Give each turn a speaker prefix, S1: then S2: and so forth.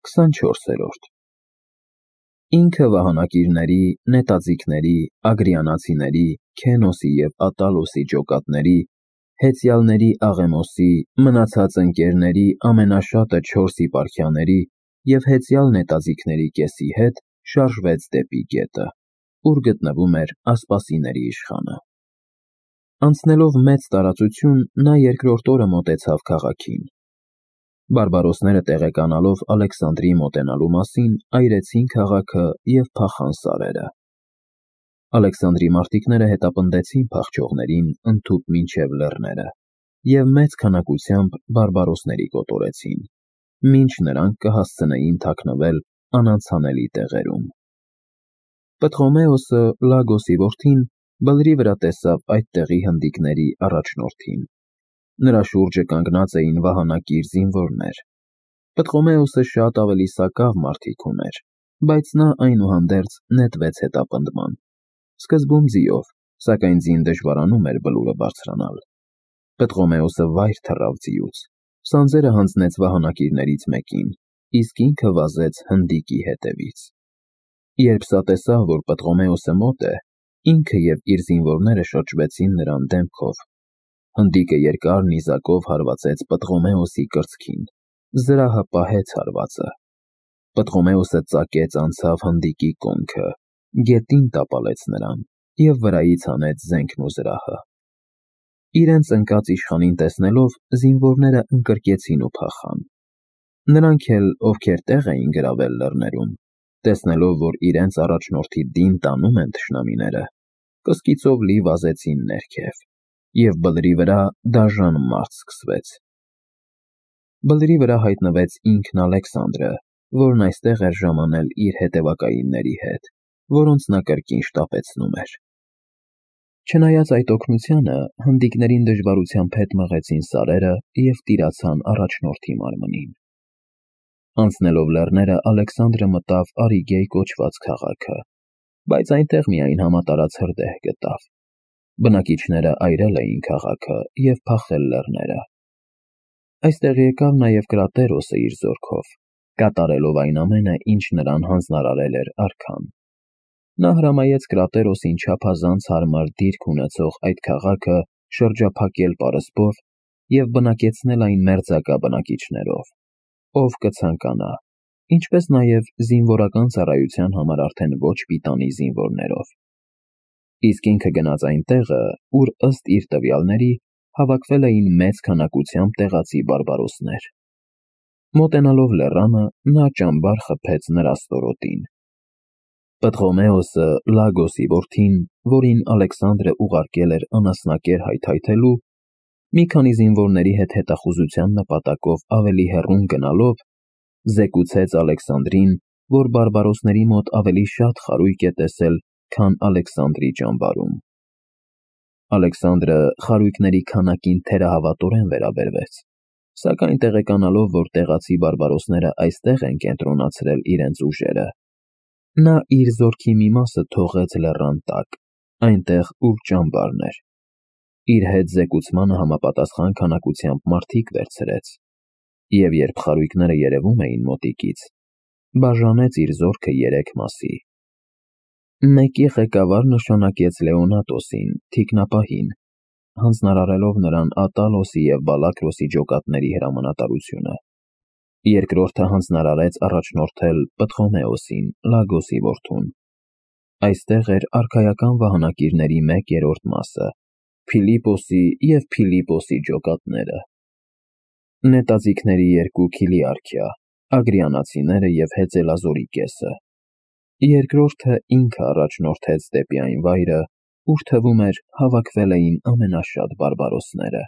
S1: 24-րդ Ինքը վահանակիրների, նետաձիգների, ագրիանացիների, Քենոսի և Ատալոսի ջոկատների, հեծյալների Աղեմոսի, մնացած ընկերների ամենաշատը 4 եպարխիաների և հեծյալ նետաձիգների կեսի հետ շարժվեց դեպի գետը, ուր գտնվում էր ասպասիների իշխանը։ Անցնելով մեծ տարածություն, նա երկրորդ օրը մոտեցավ քաղաքին։ Բարբարոսները տեղեկանալով Ալեքսանդրի մոտենալու մասին, այրեցին քաղաքը և փախան սարերը։ Ալեքսանդրի մարտիկները հետապնդեցին փախչողներին ընդհուպ մինչև լեռները և մեծ քանակությամբ բարբարոսների կոտորեցին, մինչ նրանք կհասցնեին թաքնվել անանցանելի տեղերում։ Պտղոմեոսը, Լագոսի որդին, բլրի վրա տեսավ այդ տեղի հնդիկների առաջնորդին։ Նրա շուրջը կանգնած էին վահանակիր զինվորներ։ Պտղոմեոսը շատ ավելի սակավ մարդիկ ուներ, բայց նա այնուհանդերձ նետվեց հետապնդման։ Սկզբում ձիով, սակայն ձին դժվարանում էր բլուրը բարձրանալ։ Պտղոմեոսը վայր թռավ ձիուց, սանձերը հանձնեց վահանակիրներից մեկին, իսկ ինքը վազեց հնդիկի հետևից։ Երբ սա տեսավ, որ Պտղոմեոսը մոտ է, ինքը և իր զինվորները շրջվեցին նրան դեմքով։ Հնդիկը երկար նիզակով հարվածեց Պտղոմեոսի կրծքին, զրահը պահեց հարվածը։ Պտղոմեոսը ծակեց անցավ հնդիկի կոնքը, գետին տապալեց նրան և վրայից հանեց զենքն ու զրահը։ Իրենց ընկած իշխանին տեսնելով, զինվորները ընկրկեցին ու փախան։ Նրանք էլ, ովքեր տեղ էին գրավել լեռներում, տեսնելով, որ իրենց առաջնորդի դին տանում են թշնամիները, կսկիծով լի վազեցին ներքև, և բլրի վրա դաժան մարտ սկսվեց։ Բլրի վրա հայտնվեց ինքն Ալեքսանդրը, որն այստեղ էր ժամանել իր հետևակայինների հետ, որոնց նա կրկին շտապեցնում էր։ Չնայած այդ օգնությանը, հնդիկներին դժվարությամբ հետ մղեցին սարերը և տիրացան առաջնորդի մարմնին։ Անցնելով լեռները, Ալեքսանդրը մտավ Արիգեյ կոչված քաղաքը, բայց այնտեղ միայն համատարած հրդեհ գտավ։ Բնակիչները այրել էին քաղաքը և փախել լեռները։ Այստեղ եկավ նաև Կրատերոսը իր զորքով, կատարելով այն ամենը, ինչ նրան հանձնարարել էր արքան։ Նա հրամայեց Կրատերոսին չափազանց հարմար դիրք ունեցող այդ քաղաքը շրջափակել պարսպով և բնակեցնել այն մերձակա բնակիչներով, ով կցանկանա, ինչպես նաև զինվորական ծառայության համար արդեն ոչ պիտանի զինվորներով։ Իսկ ինքը գնաց այն տեղը, ուր ըստ իր տվյալների հավաքվել էին մեծ քանակությամբ տեղացի բարբարոսներ։ Մոտենալով լեռանը, նա ճամբար խփեց նրա ստորոտին։ Պտղոմեոսը, Լագոսի որդին, որին Ալեքսանդրը ուղարկել էր անասնակեր հայթայթելու, մի քանի զինվորների հետ հետախուզության նպատակով ավելի հեռուն գնալով, զեկուցեց Ալեքսանդրին, որ բարբարոսների մոտ ավելի շատ խարույկ է տեսել, քան Ալեքսանդրի ճամբարում։ Ալեքսանդրը խարույկների քանակին թերահավատորեն վերաբերվեց, սակայն տեղեկանալով, որ տեղացի բարբարոսները այստեղ են կենտրոնացրել իրենց ուժերը, նա իր զորքի մի մասը թողեց լեռան տակ, այնտեղ, ուր ճամբարն էր։ Իր հետ զեկուցմանը համապատասխան քանակությամբ մարդիկ վերցրեց, և երբ խարույկները երևում էին մոտիկից, բաժանեց իր զորքը 3 մասի։ Մեկի ղեկավար նշանակեց Լեոնատոսին, թիկնապահին, հանձնարարելով նրան Ատալոսի և Բալակրոսի ջոկատների հրամանատարությունը։ Երկրորդը հանձնարարեց առաջնորդել Պտղոմեոսին, Լագոսի որդուն։ Այստեղ էր արքայական վահանակիրների 1/3 մասը, Փիլիպոսի և Փիլիպոսի ջոկատները, նետաձիգների 2 քիլիարքիա, ագրիանացիները և հեծելազորի կեսը։ Երկրորդը ինքը առաջնորդեց դեպի այն վայրը, ուր թվում էր հավաքվել էին ամենաշատ բարբարոսները։